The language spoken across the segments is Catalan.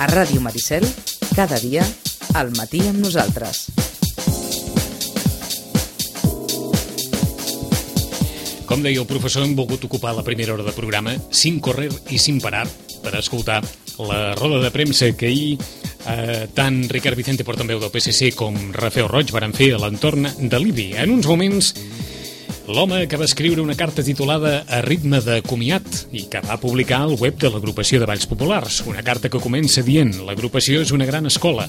A Ràdio Maricel, cada dia, al matí amb nosaltres. Com deia el professor, hem volgut ocupar la primera hora de programa sin correr i sin parar per escoltar la roda de premsa que ahir tant Ricard Vicente, portaveu del PSC, com Rafael Roig varen fer a l'entorn de l'IBI. En uns moments, l'home que va escriure una carta titulada A ritme de comiat i que va publicar al web de l'agrupació de Balls Populars. Una carta que comença dient: l'agrupació és una gran escola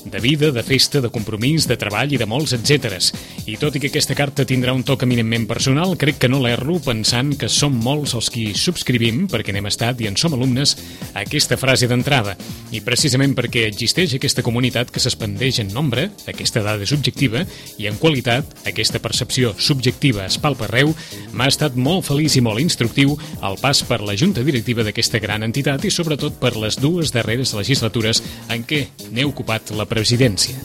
de vida, de festa, de compromís, de treball i de molts etcèteres. I tot i que aquesta carta tindrà un toc eminentment personal, crec que no l'erro pensant que som molts els qui subscrivim, perquè n'hem estat i en som alumnes, aquesta frase d'entrada. I precisament perquè existeix aquesta comunitat que s'expandeix en nombre, aquesta dada és objectiva, i en qualitat, aquesta percepció subjectiva es palpa arreu, m'ha estat molt feliç i molt instructiu el pas per la junta directiva d'aquesta gran entitat i sobretot per les dues darreres legislatures en què n'he ocupat la presidència.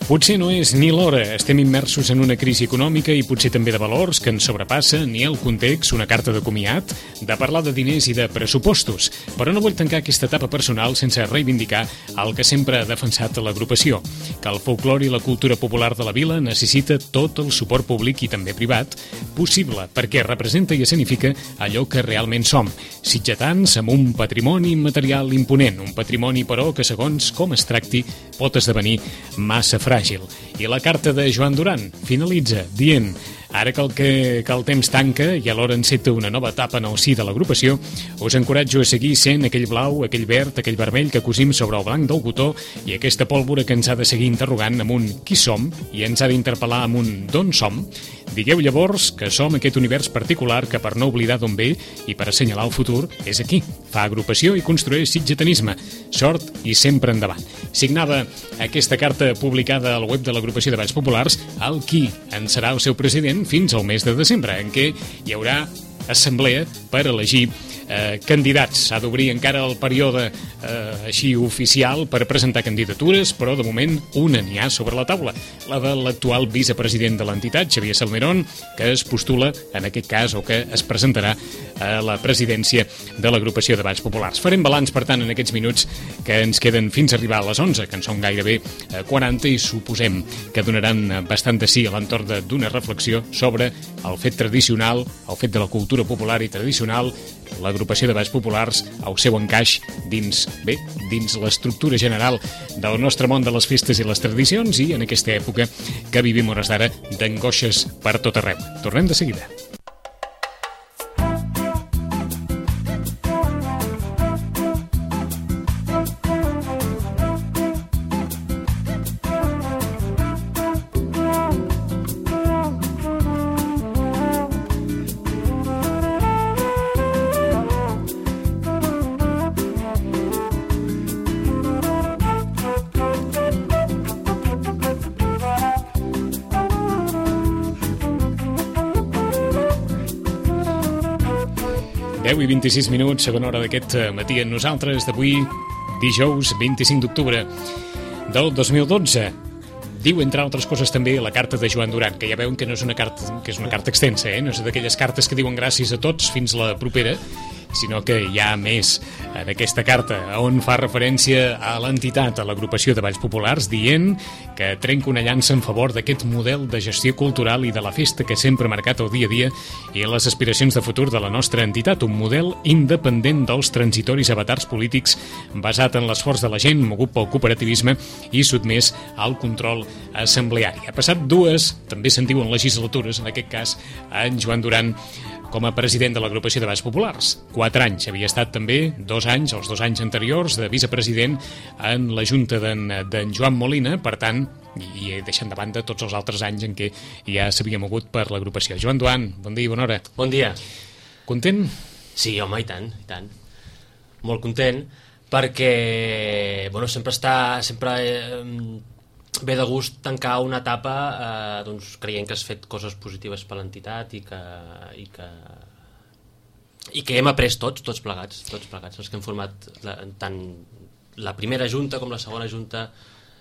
Potser no és ni l'hora, estem immersos en una crisi econòmica i potser també de valors que ens sobrepassa, ni el context, una carta de comiat, de parlar de diners i de pressupostos. Però no vull tancar aquesta etapa personal sense reivindicar el que sempre ha defensat l'agrupació, que el folklore i la cultura popular de la vila necessita tot el suport públic i també privat possible, perquè representa i escenifica allò que realment som, sitgetans amb un patrimoni material imponent, un patrimoni, però, que segons com es tracti pot esdevenir massa fràgil. I la carta de Joan Duran finalitza dient: ara que el temps tanca i alhora enceta una nova etapa en el si de l'agrupació, us encoratjo a seguir sent aquell blau, aquell verd, aquell vermell que cosim sobre el blanc del cotó i aquesta pólvora que ens ha de seguir interrogant amb un qui som i ens ha d'interpel·lar amb un d'on som. Digueu llavors que som aquest univers particular que, per no oblidar d'on ve i per assenyalar el futur, és aquí. Fa agrupació i construeix sitgetanisme. Sort i sempre endavant. Signava aquesta carta publicada al web de l'agrupació de Balls Populars el qui en serà el seu president fins al mes de desembre, en què hi haurà assemblea per elegir candidats. S'ha d'obrir encara el període així oficial per presentar candidatures, però de moment una n'hi ha sobre la taula, la de l'actual vicepresident de l'entitat, Xavier Salmerón, que es postula en aquest cas o que es presentarà a la presidència de l'agrupació de Balls Populars. Farem balanç, per tant, en aquests minuts que ens queden fins a arribar a les 11, que en són gairebé 40, i suposem que donaran bastant de sí a l'entorn d'una reflexió sobre el fet tradicional, el fet de la cultura popular i tradicional, l'agrupació de Balls Populars, el seu encaix dins l'estructura general del nostre món de les festes i les tradicions i en aquesta època que vivim hores d'ara d'angoixes per tot arreu. Tornem de seguida. I 26 minuts, segona hora d'aquest matí en nosaltres, d'avui, dijous 25 d'octubre del 2012. Diu, entre altres coses, també la carta de Joan Duran, que ja veuen que no és una carta, que és una carta extensa, no és d'aquelles cartes que diuen gràcies a tots fins la propera, sinó que hi ha més en aquesta carta, on fa referència a l'entitat, a l'agrupació de Balls Populars, dient que trenca una llança en favor d'aquest model de gestió cultural i de la festa que sempre ha marcat el dia a dia i les aspiracions de futur de la nostra entitat, un model independent dels transitoris avatars polítics, basat en l'esforç de la gent, mogut pel cooperativisme i sotmès al control assembleari. Ha passat dues, també se'n diuen legislatures, en aquest cas, en Joan Duran com a president de l'agrupació de Balls Populars. 4 anys. Havia estat també 2 anys, els 2 anys anteriors, de vicepresident en la junta d'en Joan Molina, per tant, i deixant de banda tots els altres anys en què ja s'havia mogut per l'agrupació. Joan Duran, bon dia i bona hora. Bon dia. Content? Sí, home, i tant, i tant. Molt content, perquè, bueno, sempre ve de gust tancar una etapa doncs, creient que has fet coses positives per l'entitat i que hem après tots plegats, els que hem format tant la primera junta com la segona junta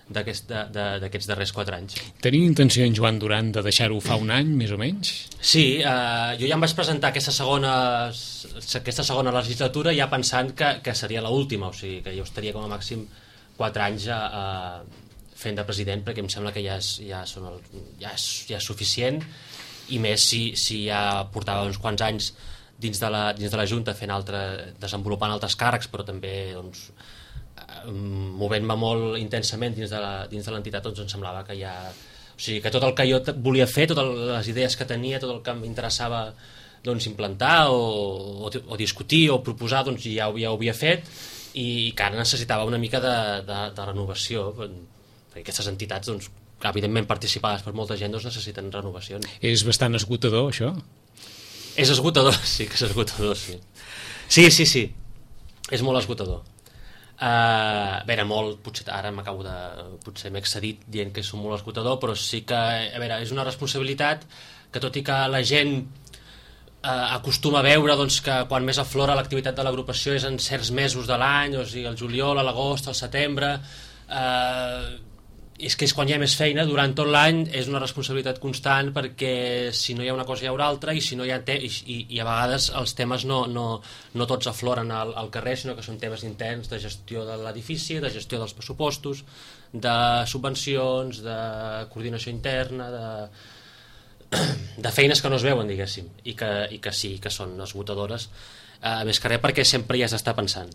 d'aquests darrers 4 anys. Tenia intenció en Joan Duran de deixar-ho fa un any, més o menys? Sí, jo ja em vaig presentar aquesta segona legislatura ja pensant que seria l'última, o sigui, que jo estaria com a màxim 4 anys fent de president, perquè em sembla que ja és suficient, i més si ja portava uns quants anys dins de la Junta desenvolupant altres càrrecs, però també doncs, movent-me molt intensament dins de l'entitat, doncs em semblava que ja... O sigui, que tot el que jo volia fer, totes les idees que tenia, tot el que m'interessava doncs, implantar o discutir o proposar, doncs ja ho havia fet, i que ara necessitava una mica de renovació, perquè aquestes entitats, doncs, evidentment participades per molta gent, doncs necessiten renovacions. És bastant esgotador, això? És esgotador, sí que és esgotador, sí. Sí, és molt esgotador. A veure, potser ara potser m'he excedit dient que és molt esgotador, però sí que, a veure, és una responsabilitat que, tot i que la gent acostuma a veure doncs, que quan més aflora l'activitat de l'agrupació és en certs mesos de l'any, o sigui, el juliol, l'agost, el setembre, és que és quan hi ha més feina. Durant tot l'any és una responsabilitat constant, perquè si no hi ha una cosa hi haurà altra, i si no hi ha i a vegades els temes no tots afloren al carrer, sinó que són temes interns de gestió de l'edifici, de gestió dels pressupostos, de subvencions, de coordinació interna, de feines que no es veuen, diguéssim, i que sí que són esgotadores, més que res perquè sempre hi has d'estar pensant.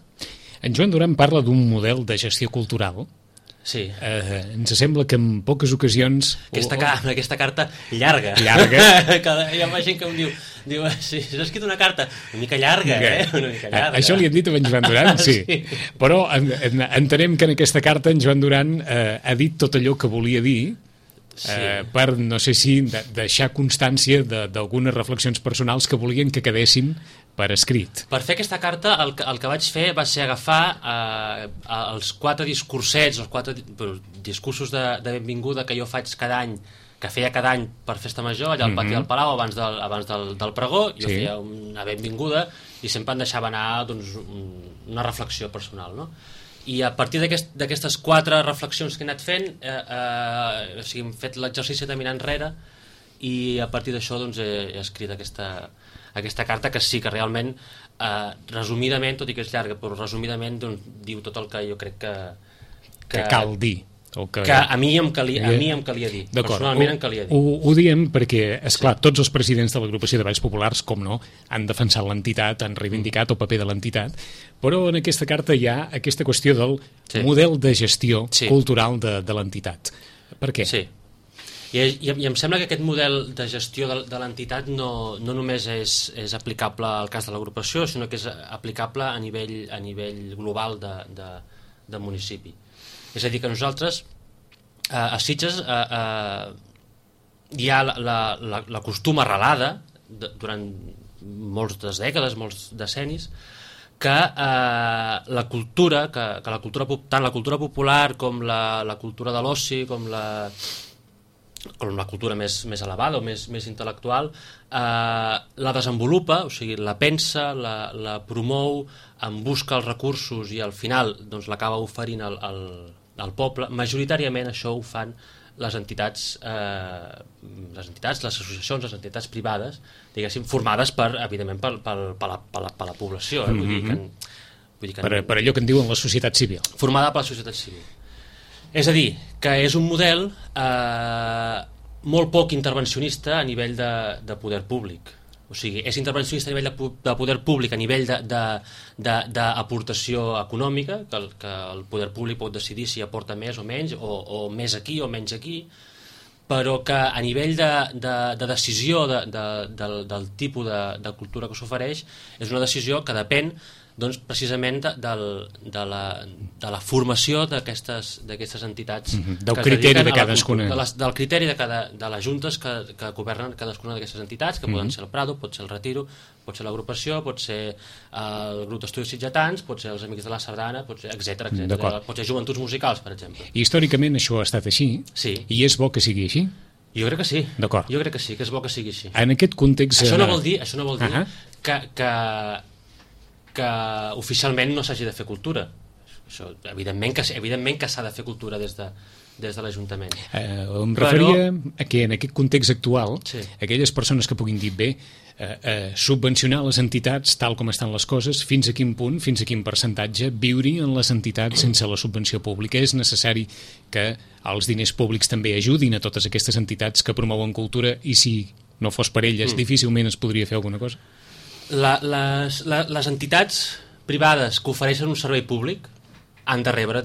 En Joan Duran parla d'un model de gestió cultural. Sí. Ens sembla que en poques ocasions... Aquesta carta llarga. Hi ha gent que em diu si has escrit una carta una mica llarga, una mica llarga. Això li hem dit a en Joan Duran, sí. Però entenem que en aquesta carta en Joan Duran ha dit tot allò que volia dir, per, no sé si, deixar constància d'algunes reflexions personals que volien que quedessin per escrit. Per fer aquesta carta el que vaig fer va ser agafar els 4 discursets, els 4 discursos de benvinguda que jo faig cada any, que feia cada any per Festa Major, allà al pati del Palau, abans del pregó. Jo feia una benvinguda i sempre em deixava anar doncs, una reflexió personal, no? I a partir d'aquestes 4 reflexions que he anat fent, o sigui, hem fet l'exercici de mirar enrere, i a partir d'això doncs, he escrit aquesta carta, que sí que realment, resumidament, tot i que és llarga, però resumidament doncs, diu tot el que jo crec que cal dir. Que a mi em calia dir. Personalment em calia dir. Ho diem perquè, esclar, tots els presidents de l'agrupació de Balls Populars, com no, han defensat l'entitat, han reivindicat el paper de l'entitat, però en aquesta carta hi ha aquesta qüestió del model de gestió cultural de l'entitat. Per què? Sí. I em sembla que aquest model de gestió de l'entitat no només és aplicable al cas de l'agrupació, sinó que és aplicable a nivell global de municipi. És a dir, que nosaltres a Sitges hi ha la costum arrelada durant moltes dècades, molts decennis, que la cultura, tant la cultura popular com la cultura de l'oci, com la cultura més elevada o més intel·lectual, la desenvolupa, o sigui, la pensa, la promou, en busca els recursos i al final doncs, l'acaba oferint al poble. Majoritàriament això ho fan les entitats, les associacions, les entitats privades, diguéssim, formades evidentment per la població, per allò que en diuen la societat civil. Formada per la societat civil. És a dir, que és un model molt poc intervencionista a nivell de poder públic. O sigui, és intervencionista a nivell de poder públic, a nivell d'aportació econòmica, que el poder públic pot decidir si aporta més o menys, o més aquí o menys aquí, però que a nivell de decisió del tipus de cultura que s'ofereix és una decisió que depèn doncs, precisament de la formació d'aquestes entitats, del criteri de cadascuna, del criteri de les juntes que governen cadascuna d'aquestes entitats, que poden ser el Prado, pot ser el Retiro, pot ser l'agrupació, pot ser el grup d'estudis sitgetans, pot ser els Amics de la Sardana, etc. Pot ser Joventuts Musicals, per exemple. I històricament això ha estat així, i és bo que sigui així? Jo crec que sí. D'acord. Jo crec que sí, que és bo que sigui així. En aquest context... Això no vol dir que oficialment no s'hagi de fer cultura. Això, evidentment que s'ha de fer cultura des des de l'Ajuntament. Em referia a que en aquest context actual, aquelles persones que puguin dir bé, subvencionar les entitats tal com estan les coses, fins a quin punt, fins a quin percentatge viure en les entitats sense la subvenció pública. És necessari que els diners públics també ajudin a totes aquestes entitats que promouen cultura i si no fos per elles difícilment es podria fer alguna cosa? Les entitats privades que ofereixen un servei públic han de rebre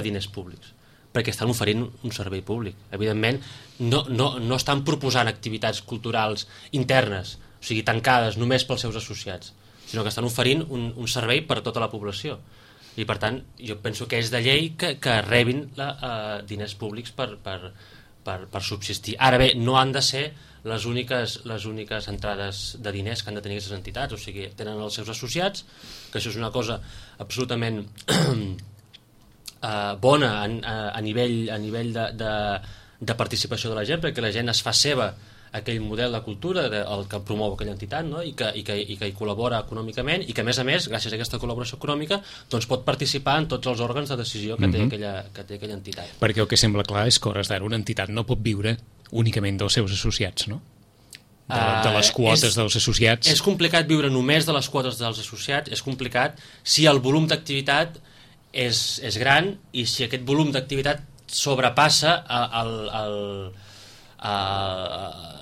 diners públics perquè estan oferint un servei públic. Evidentment, no estan proposant activitats culturals internes, o sigui, tancades només pels seus associats, sinó que estan oferint un servei per a tota la població. I, per tant, jo penso que és de llei que rebin diners públics per subsistir. Ara bé, no han de ser les úniques entrades de diners que han de tenir aquestes entitats, o sigui, tenen els seus associats, que això és una cosa absolutament bona a nivell de participació de la gent, perquè la gent es fa seva aquell model de cultura el que promou aquella entitat, no? I que hi col·labora econòmicament i que, a més, gràcies a aquesta col·laboració econòmica, doncs pot participar en tots els òrgans de decisió que té aquella entitat. Perquè el que sembla clar és que, a hores d'ara, una entitat no pot viure únicament dels seus associats, no? De les quotes dels associats. És complicat viure només de les quotes dels associats, és complicat si el volum d'activitat és gran i si aquest volum d'activitat sobrepassa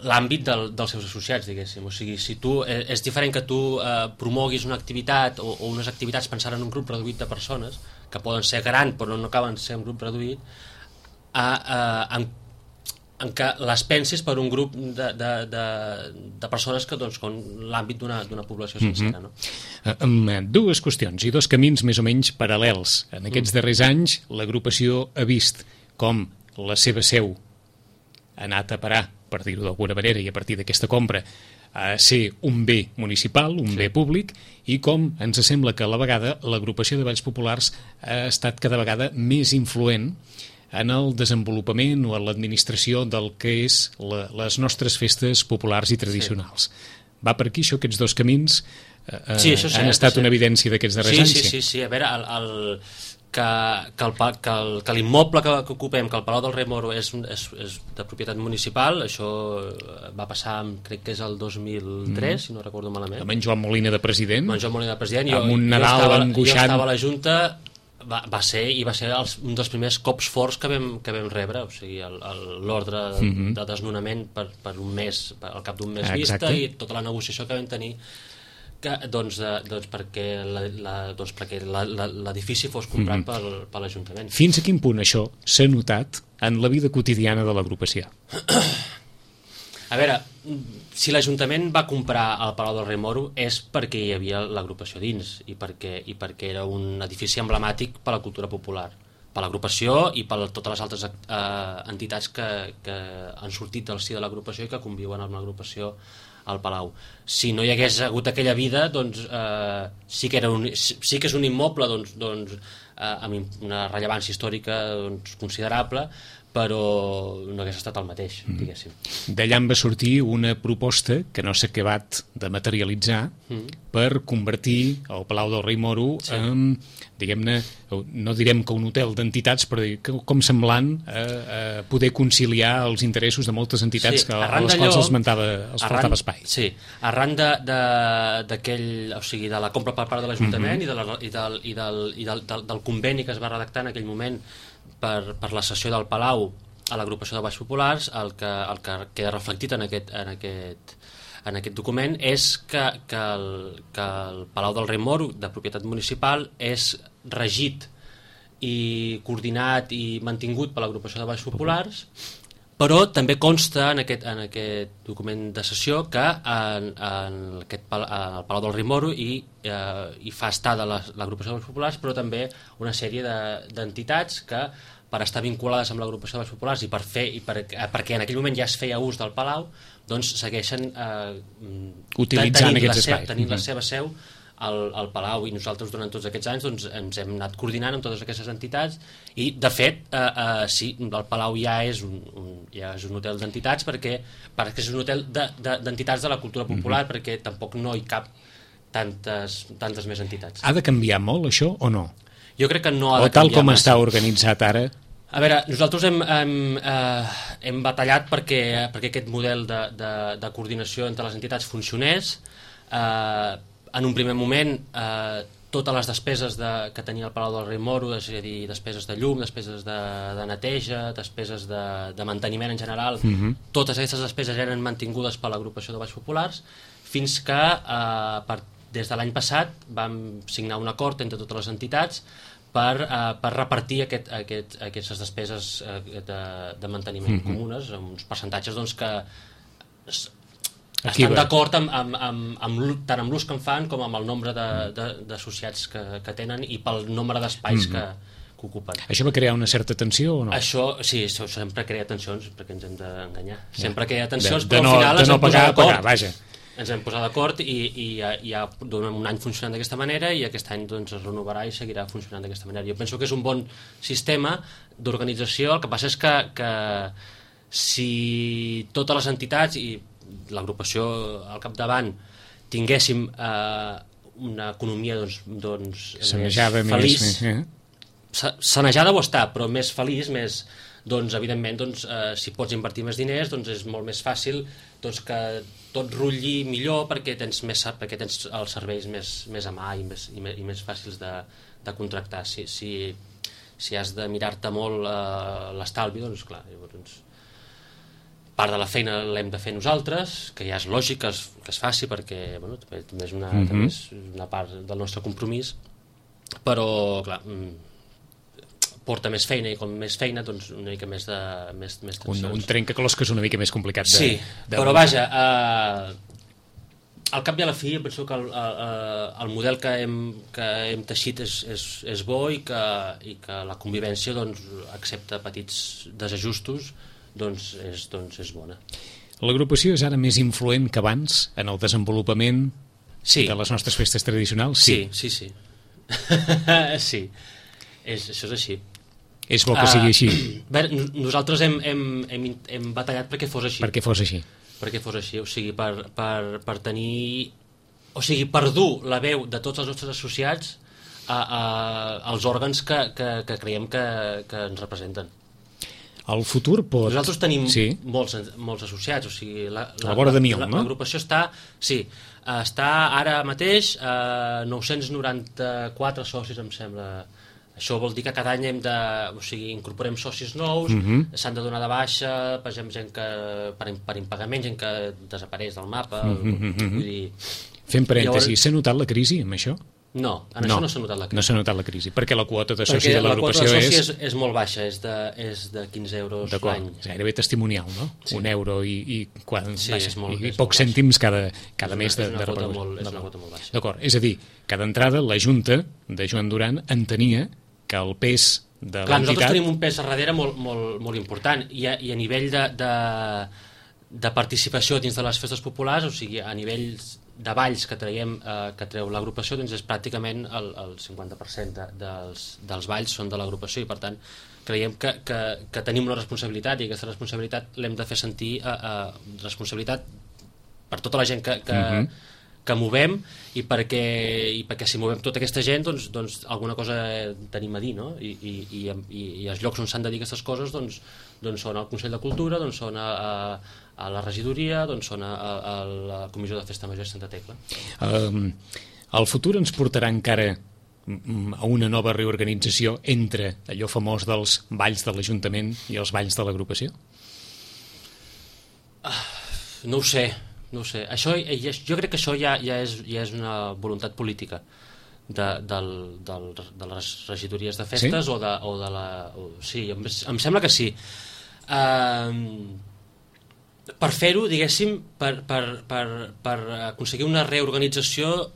l'àmbit dels seus associats, diguéssim. O sigui, si és diferent que tu promoguis una activitat o unes activitats pensant en un grup reduït de persones, que poden ser grans però no acaben de ser un grup reduït, en què les pensis per un grup de persones que, doncs, com l'àmbit d'una població sencera. No? Amb dues qüestions i dos camins més o menys paral·lels. En aquests darrers anys, l'agrupació ha vist com la seva seu ha anat a parar, per dir-ho d'alguna manera, i a partir d'aquesta compra, a ser un bé municipal, un bé públic, i com ens sembla que a la vegada l'agrupació de balls populars ha estat cada vegada més influent en el desenvolupament o en l'administració del que és les nostres festes populars i tradicionals. Va per aquí, això, aquests dos camins han estat una evidència d'aquests darrers anys? Sí. A veure, que l'immoble que ocupem, que el Palau del Rei Moro és de propietat municipal, això va passar, crec que és el 2003, si no recordo malament. Amb en Joan Molina de president? Amb en Joan Molina de president. Amb un Nadal angoixant. Jo estava a la Junta. Va ser un dels primers cops forts que vam rebre, o sigui, l'ordre de desnonament per un mes, al cap d'un mes vista, i tota la negociació que vam tenir perquè l'edifici fos comprat per l'Ajuntament. Fins a quin punt això s'ha notat en la vida quotidiana de l'agrupació? A veure, si l'Ajuntament va comprar el Palau del Rei Moro és perquè hi havia l'agrupació dins i perquè era un edifici emblemàtic per la cultura popular, per l'agrupació i per totes les altres entitats que han sortit del si de l'agrupació i que conviuen amb l'agrupació al Palau. Si no hi hagués hagut aquella vida, doncs sí que és un immoble amb una rellevància històrica considerable, però no hagués estat el mateix, diguéssim. D'allà en va sortir una proposta que no s'ha acabat de materialitzar per convertir el Palau del Rei Moro en, diguem-ne, no direm que un hotel d'entitats, però com semblant a poder conciliar els interessos de moltes entitats a les quals els faltava espai. Sí, arran d'aquell, o sigui, de la compra per part de l'Ajuntament i del conveni que es va redactar en aquell moment per la cessió del Palau a l'agrupació de Balls Populars, el que queda reflectit en aquest document és que el Palau del Rei Moro, de propietat municipal, és regit i coordinat i mantingut per l'agrupació de Balls Populars, però també consta en aquest document de cessió que al Palau del Rei Moro hi fa estar de l'agrupació de Balls Populars, però també una sèrie d'entitats que, per estar vinculades amb l'agrupació de Balls Populars i perquè en aquell moment ja es feia ús del Palau, doncs segueixen utilitzant aquests espais, tenint la seva seu al Palau, i nosaltres durant tots aquests anys doncs, ens hem anat coordinant amb totes aquestes entitats i, de fet, sí, el Palau ja és un hotel d'entitats perquè és un hotel d'entitats de la cultura popular, perquè tampoc no hi cap tantes més entitats. Ha de canviar molt això o no? Jo crec que no ha de canviar massa. O tal com està organitzat ara, A veure, nosaltres hem batallat perquè aquest model de coordinació entre les entitats funcionés. En un primer moment, totes les despeses que tenia el Palau del Rei Moro, és a dir, despeses de llum, despeses de neteja, despeses de manteniment en general, totes aquestes despeses eren mantingudes per l'agrupació de Balls Populars, fins que des de l'any passat vam signar un acord entre totes les entitats per repartir aquestes despeses de manteniment comunes, amb uns percentatges doncs, que estan d'acord tant amb l'ús que en fan com amb el nombre d'associats que tenen i pel nombre d'espais que ocupen. Això va crear una certa tensió o no? Això sempre crea tensions, perquè ens hem d'enganyar. Sempre crea tensions, però al final ens hem posat d'acord. Ens hem posat d'acord i ja donem un any funcionant d'aquesta manera i aquest any doncs, es renovarà i seguirà funcionant d'aquesta manera. Jo penso que és un bon sistema d'organització. El que passa és que si totes les entitats i l'agrupació al capdavant tinguéssim una economia sanejada, més feliç, sanejada ho està, però més feliç, doncs evidentment si pots invertir més diners doncs és molt més fàcil que tot rutlli millor perquè tens els serveis més a mà i més fàcils de contractar. Si has de mirar-te molt l'estalvi, doncs clar, llavors part de la feina l'hem de fer nosaltres, que ja és lògic que es faci perquè també és una part del nostre compromís, però clar, porta més feina i com més feina doncs una mica més tensions. Un trencaclosques una mica més complicat. Però vaja, al cap i a la fi penso que el model que hem teixit és bo i que la convivència accepta petits desajustos és bona. L'agrupació és ara més influent que abans en el desenvolupament de les nostres festes tradicionals? Sí. Sí, això és així. És bo que sigui així. Nosaltres hem batallat perquè fos així. Perquè fos així. O sigui, per tenir... O sigui, per dur la veu de tots els nostres associats als òrgans que creiem que ens representen. El futur pot... Nosaltres tenim molts associats, o sigui... A la vora de 1.000, no? L'agrupació està ara mateix 994 socis, em sembla. Això vol dir que cada any incorporem socis nous, s'han de donar de baixa, per exemple, gent que per impagament, gent que desapareix del mapa. Vull dir... Fem parèntesi, s'ha notat la crisi amb això? No, això no s'ha notat la crisi. No s'ha notat la crisi, perquè la quota de soci de l'agrupació és molt baixa, és de 15 euros l'any. És gairebé testimonial, no? Sí. €1 i pocs cèntims cada mes de repercussió. És una quota molt baixa. D'acord, és a dir, que d'entrada la Junta de Joan Duran entenia que el pes de l'entitat... Nosaltres tenim un pes a darrere molt important i a nivell de participació dins de les festes populars, o sigui, a nivell de balls que treu l'agrupació, doncs és pràcticament el 50% dels balls són de l'agrupació i per tant creiem que tenim una responsabilitat i aquesta responsabilitat l'hem de fer sentir responsabilitat per tota la gent que movem i perquè si movem tota aquesta gent doncs alguna cosa tenim a dir, no? I els llocs on s'han de dir aquestes coses doncs són al Consell de Cultura, doncs són a la regidoria, doncs són a la Comissió de Festa Major de Santa Tecla. El futur ens portarà encara a una nova reorganització entre allò famós dels balls de l'Ajuntament i els balls de l'agrupació? No ho sé. Això, jo crec que això ja és una voluntat política de les regidories de festes o de la... Sí, em sembla que sí. Per fer-ho, diguéssim, per aconseguir una reorganització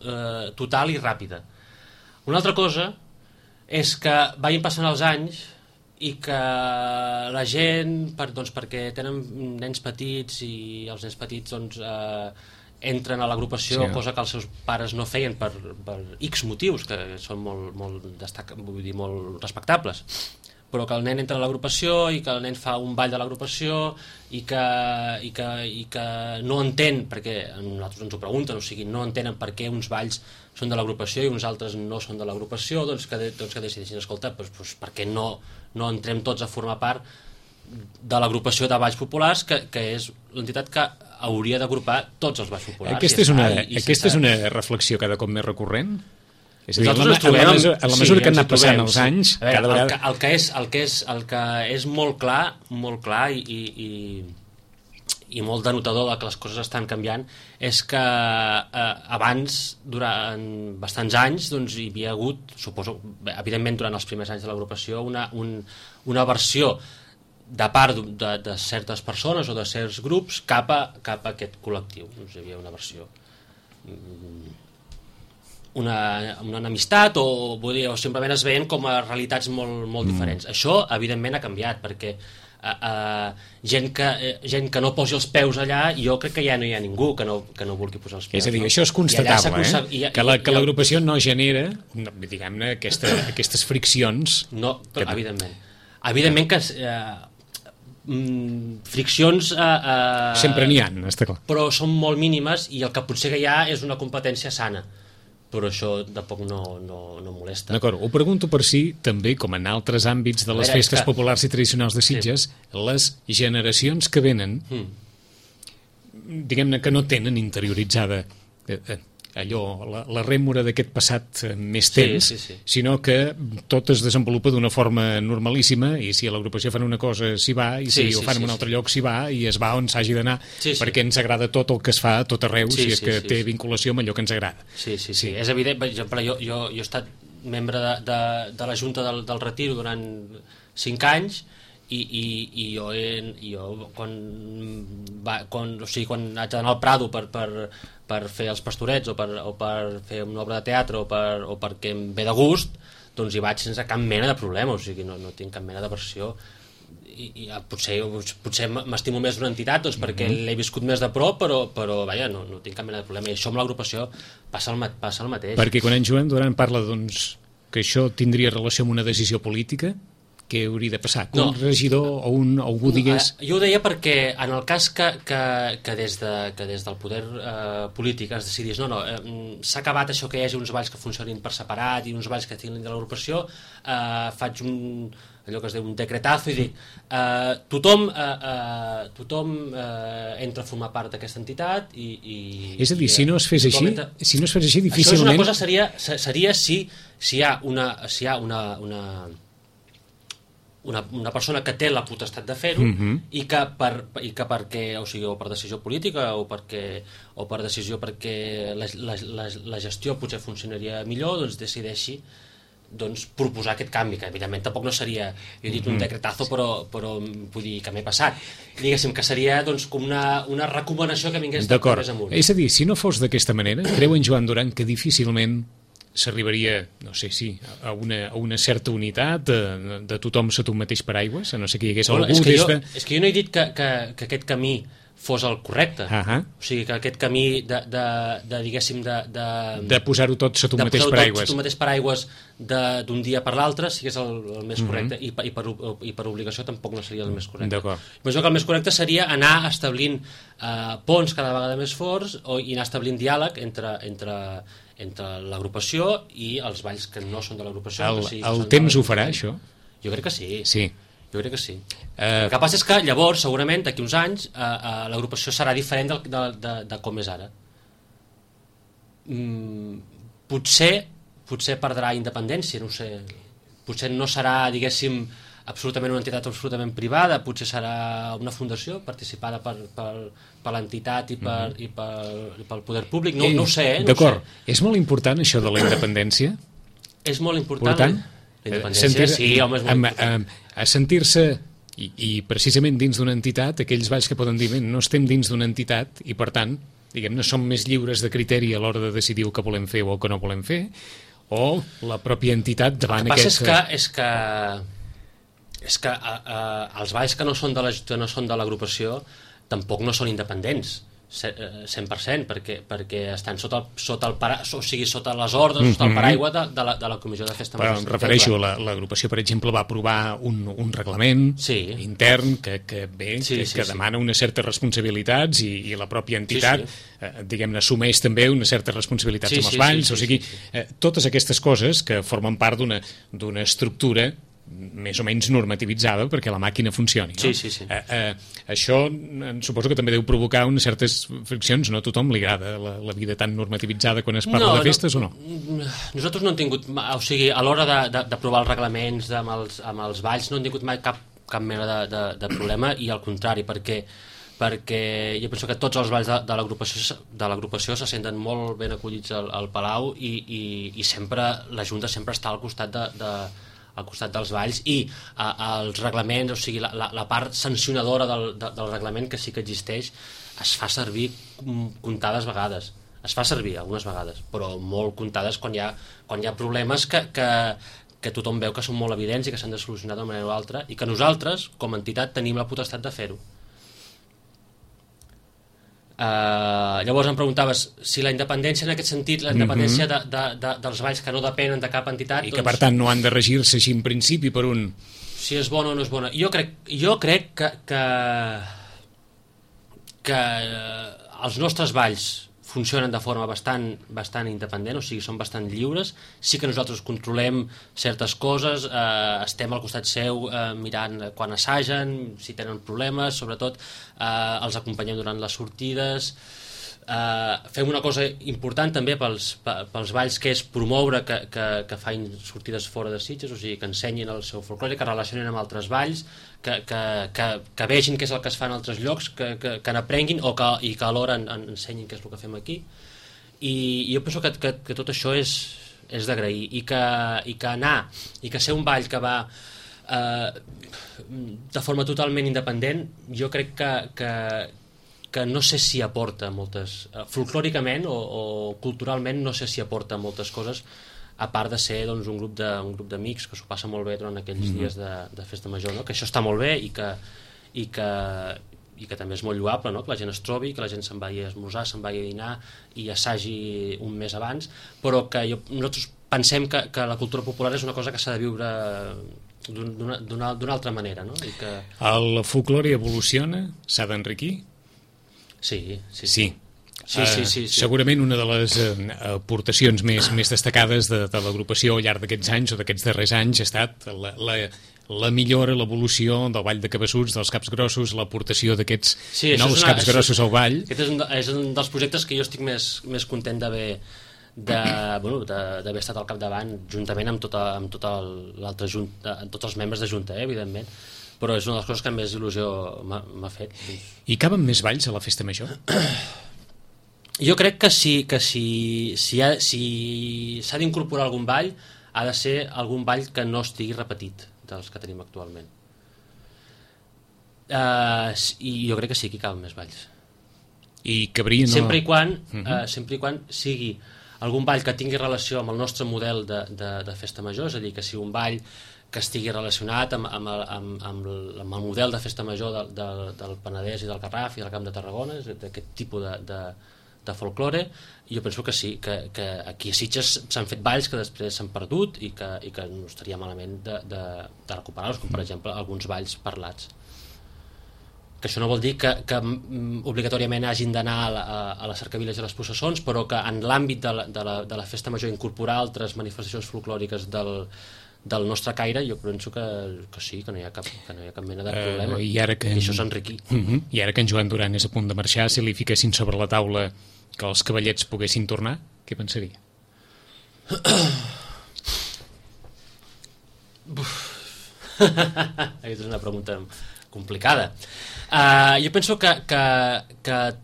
total i ràpida. Una altra cosa és que vagin passant els anys i que la gent, perquè tenen nens petits i els nens petits entren a l'agrupació, cosa que els seus pares no feien per X motius, que són molt respectables. però que el nen entra a l'agrupació i que el nen fa un ball de l'agrupació i que no entén, perquè nosaltres ens ho pregunten, o sigui, no entenen per què uns balls són de l'agrupació i uns altres no són de l'agrupació, doncs que decideixin, escolta, doncs per què no entrem tots a formar part de l'agrupació de balls populars, que és l'entitat que hauria d'agrupar tots els balls populars. Aquesta és una reflexió cada cop més recurrent? És a dir, a la mesura que han anat passant els anys, cada vegada... El que és molt clar i molt denotador de que les coses estan canviant és que abans, durant bastants anys, doncs, hi havia hagut, suposo, evidentment durant els primers anys de l'agrupació, una versió de part de certes persones o de certs grups cap a aquest col·lectiu. Doncs hi havia una versió, una enemistat o simplement es veien com a realitats molt diferents. Això evidentment ha canviat, perquè gent que no posi els peus allà, jo crec que ja no hi ha ningú que no vulgui posar els peus. És a dir, això és constatable, que l'agrupació no genera, diguem-ne, aquestes friccions. No, però evidentment que friccions sempre n'hi ha, està clar, però són molt mínimes i el que potser que hi ha és una competència sana, però això tampoc no molesta. D'acord, ho pregunto per si també, com en altres àmbits de les festes populars i tradicionals de Sitges, les generacions que venen, diguem-ne que no tenen interioritzada allò, la rèmora d'aquest passat més temps, sinó que tot es desenvolupa d'una forma normalíssima i si a l'agrupació fan una cosa s'hi va i si ho fan en un altre lloc s'hi va i es va on s'hagi d'anar perquè ens agrada tot el que es fa a tot arreu si és que té vinculació amb allò que ens agrada. Sí, és evident. Per exemple, jo he estat membre de la Junta del Retiro durant 5 anys i jo quan haig d'anar al Prado per fer els pastorets o per fer una obra de teatre o perquè em ve de gust, doncs hi vaig sense cap mena de problema, o sigui, no tinc cap mena d'aversió i potser m'estimo més d'una entitat doncs perquè l'he viscut més de prop, però vaja, no tinc cap mena de problema, i això amb l'agrupació passa el mateix. Perquè quan en Joan Duran parla doncs, que això tindria relació amb una decisió política, què hauria de passar? Que un regidor o algú digués... Jo ho deia perquè en el cas que des del poder polític es decidís s'ha acabat això que hi hagi uns balls que funcionin per separat i uns balls que tinguin de l'agrupació, faig allò que es diu un decretazo i dic tothom entra a formar part d'aquesta entitat i és a dir, si no es fes així difícilment... Això és una cosa, seria si hi ha una persona que té la potestat de fer-ho i que perquè, o sigui, o per decisió política o per decisió perquè la gestió potser funcionaria millor, doncs decideixi proposar aquest canvi, que evidentment tampoc no seria, jo he dit un decretazo però vull dir que m'he passat, diguéssim que seria com una recomanació que vingués d'acord, més amunt. És a dir, si no fos d'aquesta manera, creu en Joan Duran que difícilment s'arribaria, no sé si, a una certa unitat de tothom sota un mateix paraigües, a no sé que hi hagués algú és que jo no he dit que aquest camí fos el correcte, o sigui que aquest camí diguéssim de posar-ho tot sota un mateix paraigües, sota un mateix paraigües d'un dia per l'altre sigués el més correcte, i per obligació tampoc no seria el més correcte. Però jo que el més correcte seria anar establint ponts cada vegada més forts i anar establint diàleg entre l'agrupació i els balls que no són de l'agrupació. El temps ho farà, això? Jo crec que sí. Sí. Jo crec que sí. El que passa és que llavors, segurament, d'aquí uns anys, l'agrupació serà diferent de com és ara. Potser perdrà independència, no ho sé. Potser no serà, diguéssim, absolutament una entitat absolutament privada, potser serà una fundació participada per l'entitat i pel poder públic, no ho sé. D'acord, és molt important això de la independència? És molt important. La independència, sí, home, és molt important. A sentir-se, i precisament dins d'una entitat, aquells balls que poden dir, no estem dins d'una entitat i per tant, diguem-ne, som més lliures de criteri a l'hora de decidir el que volem fer o el que no volem fer, o la pròpia entitat davant aquesta... És que els balls que no són de l'agrupació tampoc no són independents, 100%, perquè estan sota les ordres, sota el paraigua de la Comissió de Festa Major. Però em refereixo, l'agrupació, per exemple, va aprovar un reglament intern que demana unes certes responsabilitats i la pròpia entitat, diguem-ne, assumeix també unes certes responsabilitats amb els balls, o sigui, totes aquestes coses que formen part d'una estructura més o menys normativitzada perquè la màquina funcioni, no? Sí. Això suposo que també deu provocar unes certes friccions. No a tothom li agrada la vida tan normativitzada quan es parla de festes, o no? Nosaltres no hem tingut, o sigui, a l'hora d'aprovar els reglaments amb els balls no hem tingut mai cap mena de problema, i al contrari, perquè jo penso que tots els balls de l'agrupació se senten molt ben acollits al Palau, i sempre la Junta sempre està al costat dels balls, i els reglaments, o sigui, la part sancionadora del reglament, que sí que existeix, es fa servir comptades vegades. Es fa servir algunes vegades, però molt comptades quan hi ha problemes que tothom veu que són molt evidents i que s'han de solucionar d'una manera o altra, i que nosaltres, com a entitat, tenim la potestat de fer-ho. Llavors em preguntaves si la independència, en aquest sentit, la independència dels balls que no depenen de cap entitat, i que per tant no han de regir-se així en principi per un... Si és bona o no és bona. Jo crec que els nostres balls funcionen de forma bastant independent, o sigui, són bastant lliures. Sí que nosaltres controlem certes coses, estem al costat seu mirant quan assagen, si tenen problemes, sobretot els acompanyem durant les sortides. Fem una cosa important també pels balls, que és promoure que facin sortides fora de Sitges, o sigui, que ensenyin el seu folklore, que relacionin amb altres balls, que vegin què és el que es fa en altres llocs, que n'aprenguin, i que alhora ensenyin què és el que fem aquí. I jo penso que tot això és d'agrair, i que ser un ball que va de forma totalment independent, jo crec que no sé si aporta moltes... folclòricament o culturalment no sé si aporta moltes coses, a part de ser un grup d'amics que s'ho passa molt bé durant aquells dies de festa major, no? Que això està molt bé, i que també és molt lloable, no? Que la gent es trobi, que la gent se'n vagi a esmorzar, se'n vagi a dinar i assagi un mes abans, però que nosaltres pensem que la cultura popular és una cosa que s'ha de viure d'una altra manera, no? I que... El folklore evoluciona? S'ha d'enriquir? Sí. Segurament una de les aportacions més destacades de l'agrupació al llarg d'aquests anys o d'aquests darrers anys ha estat la millora, l'evolució del ball de Cabassuts, dels caps grossos, l'aportació d'aquests nous caps grossos al ball. Aquest és un dels projectes que jo estic més content d'haver estat al capdavant, juntament amb tot l'altre junta, amb tots els membres de Junta, evidentment, però és una de les coses que més il·lusió m'ha fet. I caben més balls a la festa major? Jo crec que si s'ha d'incorporar algun ball, ha de ser algun ball que no estigui repetit dels que tenim actualment. I jo crec que sí que hi caben més balls. I cabrien... Sempre i quan sigui algun ball que tingui relació amb el nostre model de festa major, és a dir, que sigui un ball que estigui relacionat amb el model de festa major del Penedès i del Garraf i del Camp de Tarragona, d'aquest tipus de folklore. I jo penso que sí, que aquí a Sitges s'han fet balls que després s'han perdut i que no estaria malament de recuperar-los, com per exemple alguns balls parlats. Que això no vol dir que obligatòriament hagin d'anar a les cercaviles i a les processons, però que en l'àmbit de la festa major incorporar altres manifestacions folclòriques del nostre caire, jo penso que sí, que no hi ha cap mena de problema. I això s'enriquir. I ara que en Joan Duran és a punt de marxar, si li fiquessin sobre la taula que els cavallets poguessin tornar, què pensaria? És una pregunta complicada. Jo penso que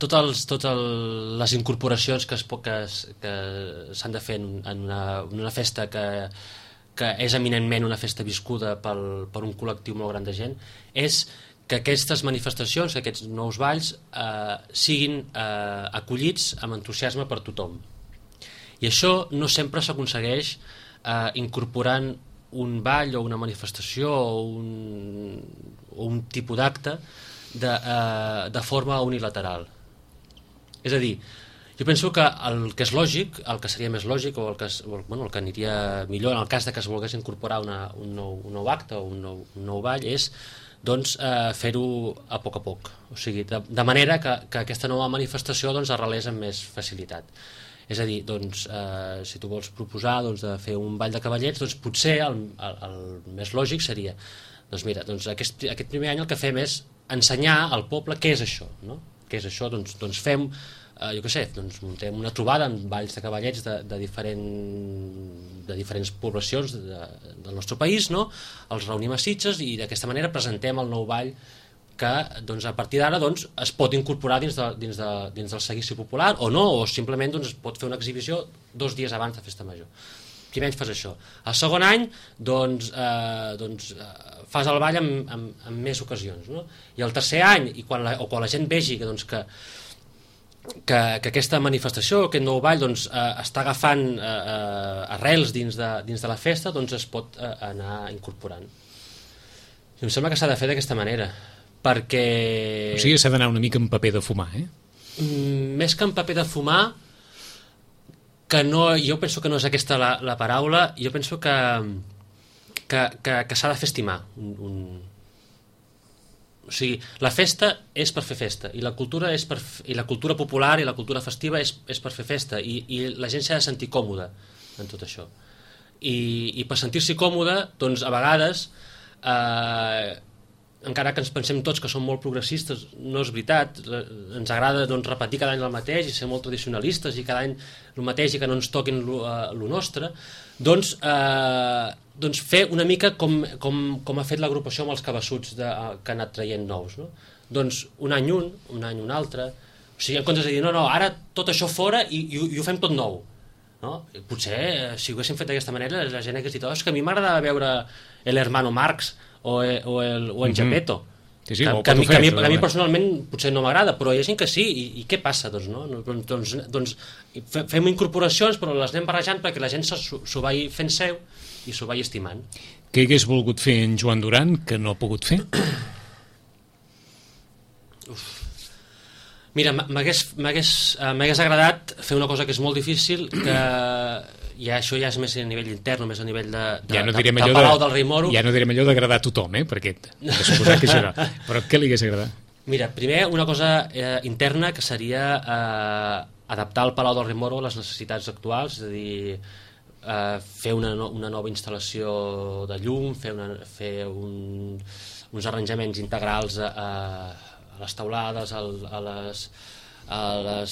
totes les incorporacions que s'han de fer en una festa que és eminentment una festa viscuda per un col·lectiu molt gran de gent, és que aquestes manifestacions, aquests nous balls, siguin acollits amb entusiasme per tothom. I això no sempre s'aconsegueix incorporant un ball o una manifestació o un tipus d'acte de forma unilateral. És a dir, jo penso que el que és lògic, el que seria més lògic o el que aniria millor en el cas de que es volgués incorporar un nou acte o un nou ball és doncs, fer-ho a poc, o sigui, de manera que aquesta nova manifestació doncs, arrelés amb més facilitat. És a dir, doncs, si tu vols proposar doncs, de fer un ball de cavallets, doncs potser el més lògic seria doncs mira, doncs aquest primer any el que fem és ensenyar al poble què és això, no? Què és això? Doncs fem, jo què sé, doncs muntem una trobada amb balls de cavallets de diferents poblacions del nostre país, no? Els reunim a Sitges i d'aquesta manera presentem el nou ball que doncs, a partir d'ara doncs, es pot incorporar dins del seguici popular o no, o simplement doncs, es pot fer una exhibició 2 dies abans de Festa Major. Primer any fas això. El segon any doncs, fas el ball en més ocasions, no? I el tercer any, quan la gent vegi que aquesta manifestació, aquest nou ball doncs, està agafant arrels dins de la festa, doncs es pot anar incorporant. I em sembla que s'ha de fer d'aquesta manera, perquè... O sigui, s'ha d'anar una mica amb paper de fumar, Més que amb paper de fumar, que no, jo penso que no és aquesta la paraula, jo penso que s'ha de fer estimar. O sigui, la festa és per fer festa, i la cultura popular i la cultura festiva és per fer festa, i la gent s'ha de sentir còmoda en tot això. I per sentir-s'hi còmode, doncs a vegades... encara que ens pensem tots que som molt progressistes, no és veritat, ens agrada doncs, repetir cada any el mateix i ser molt tradicionalistes i cada any el mateix i que no ens toquin el nostre, doncs fer una mica com ha fet l'agrupació amb els cabassuts que ha anat traient nous, no? Doncs un any un altre, o sigui, en comptes de dir no, ara tot això fora i ho fem tot nou, no? Potser si ho haguéssim fet d'aquesta manera la gent hagués dit, és que a mi m'agradava veure el hermano Marx o en Gepetto, sí, que a mi personalment potser no m'agrada, però hi ha gent que sí, i què passa? Doncs fem incorporacions, però les anem barrejant perquè la gent s'ho vagi fent seu i s'ho vagi estimant. Què hagués volgut fer en Joan Duran que no ha pogut fer? Mira, m'hagués agradat fer una cosa que és molt difícil, que això ja és més a nivell intern, més a nivell de Palau del Rei Moro. Ja no direm allò d'agradar a tothom, perquè de suposar que això no. Però què li hagués agradat? Mira, primer una cosa interna que seria adaptar el Palau del Rei Moro a les necessitats actuals, és a dir, fer una nova instal·lació de llum, fer uns arranjaments integrals a les teulades, a les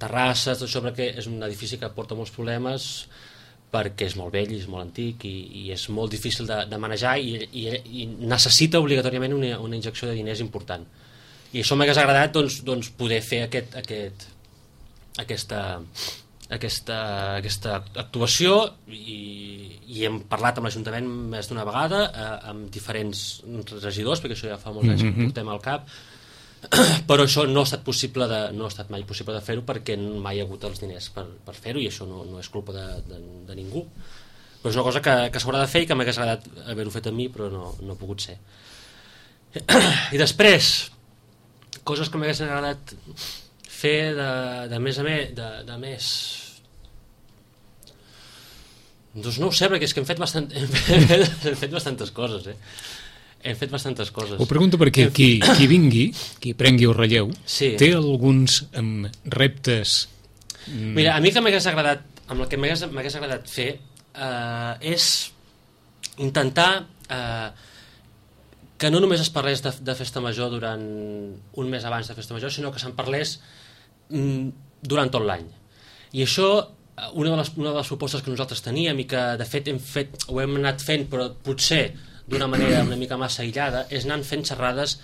terrasses, tot això, perquè és un edifici que porta molts problemes perquè és molt vell i és molt antic i és molt difícil de manejar i necessita obligatòriament una injecció de diners important. I això m'hagués agradat doncs, poder fer aquesta actuació i hem parlat amb l'Ajuntament més d'una vegada, amb diferents regidors, perquè això ja fa molts anys que portem al cap, però això no ha estat mai possible de fer-ho perquè mai hi ha hagut els diners per fer-ho, i això no és culpa de ningú, però és una cosa que s'haurà de fer i que m'hagués agradat haver-ho fet a mi, però no ha pogut ser. I després coses que m'hagués agradat fer de més doncs no ho sé, perquè és que hem fet bastantes coses, hem fet bastantes coses. Ho pregunto perquè qui vingui, qui prengui el relleu, sí, té alguns reptes... Mira, a mi que m'hagués agradat, amb el que m'hagués agradat fer és intentar que no només es parlés de Festa Major durant un mes abans de Festa Major, sinó que se'n parlés durant tot l'any. I això, una de les propostes que nosaltres teníem i que de fet ho hem anat fent, però potser d'una manera una mica massa aïllada, és anar fent xerrades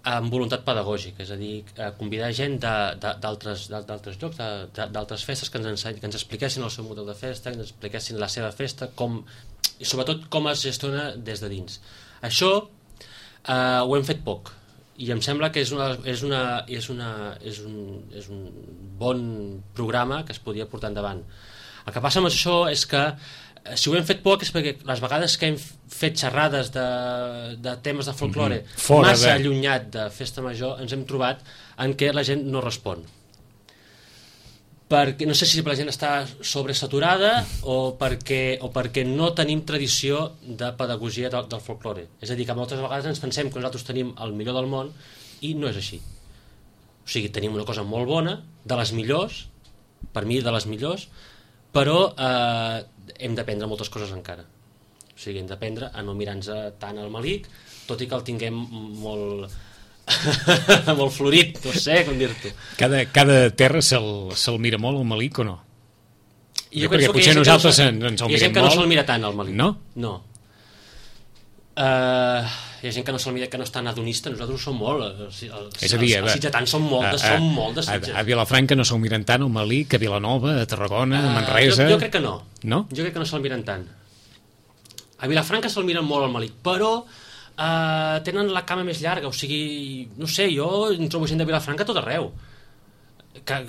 amb voluntat pedagògica, és a dir, convidar gent d'altres llocs, d'altres festes, que ens expliquessin el seu model de festa, que ens expliquessin la seva festa, i sobretot com es gestiona des de dins. Això ho hem fet poc, i em sembla que és un bon programa que es podia portar endavant. El que passa amb això és que si ho hem fet poc és perquè les vegades que hem fet xerrades de temes de folklore massa allunyat de Festa Major ens hem trobat en què la gent no respon. perquè no sé si la gent està sobresaturada o perquè no tenim tradició de pedagogia del folklore. És a dir, que moltes vegades ens pensem que nosaltres tenim el millor del món i no és així. O sigui, tenim una cosa molt bona, de les millors, per mi de les millors, però hem d'aprendre moltes coses encara. O sigui, hem d'aprendre a no mirar-nos tant al melic, tot i que el tinguem molt molt florit, no sé com dir-t'ho. Cada terra se'l mira molt el melic o no? Jo perquè potser nosaltres ens el mirem molt. Hi ha gent que no se'l mira tant el melic. No? No. Hi ha gent que no se'l mira, que no és tan hedonista. Nosaltres ho som molt. És a dir, els sitgetans són molt de Sitges. A Vilafranca no se'l miren tant el melic, a Vilanova, a Tarragona, a Manresa... Jo crec que no. No? Jo crec que no se'l miren tant. A Vilafranca se'l miren molt el melic, però tenen la cama més llarga, o sigui, no sé, jo trobo gent de Vilafranca tot arreu. Que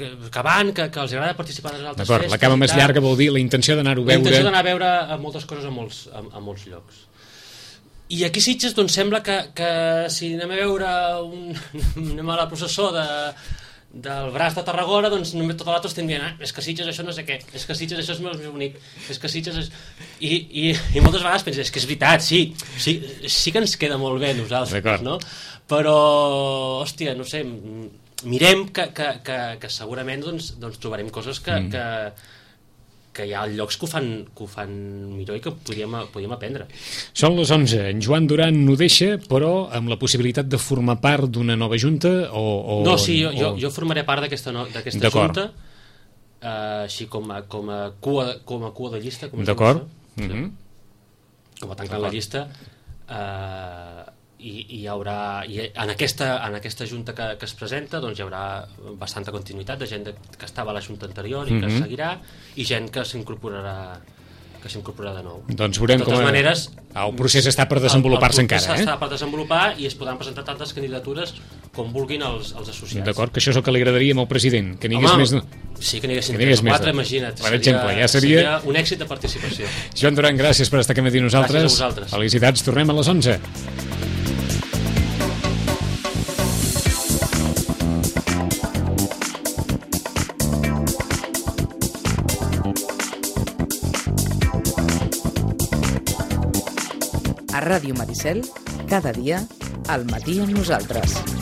van, que els agrada participar en les altres festes. La cama més llarga vol dir la intenció d'anar-ho a veure... La intenció d'anar a veure moltes coses a molts llocs. I aquí a Sitges doncs sembla que si anem a veure anem a la processó del braç de Tarragona, doncs només tot l'altre estem dient és que Sitges això no sé què, és que Sitges això és més bonic, és que Sitges és... I moltes vegades penses, és que és veritat, sí que ens queda molt bé nosaltres, no? Però, hòstia, no sé, mirem que segurament doncs trobarem coses que hi ha llocs que ho fan millor i que podríem aprendre. Són les 11. En Joan Duran no deixa, però amb la possibilitat de formar part d'una nova junta No, sí, jo formaré part d'aquesta junta, així com a cua de llista. D'acord. Com a tancant la llista, i hi haurà en aquesta junta que es presenta doncs hi haurà bastanta continuïtat de gent que estava a la junta anterior i que seguirà, i gent que s'incorporarà de nou. Doncs veurem com el procés està per desenvolupar-se encara. El procés està per desenvolupar i es podran presentar tantes candidatures com vulguin els associats. D'acord, que això és el que li agradaria al president, que n'hi hagués més... Sí, que n'hi haguessin 3 o 4, imagina't. Per exemple, ja seria un èxit de participació. Joan Duran, gràcies per estar aquí amb nosaltres. Gràcies a vosaltres. Felicitats, tornem a les 11. A Ràdio Maricel, cada dia, al matí amb nosaltres.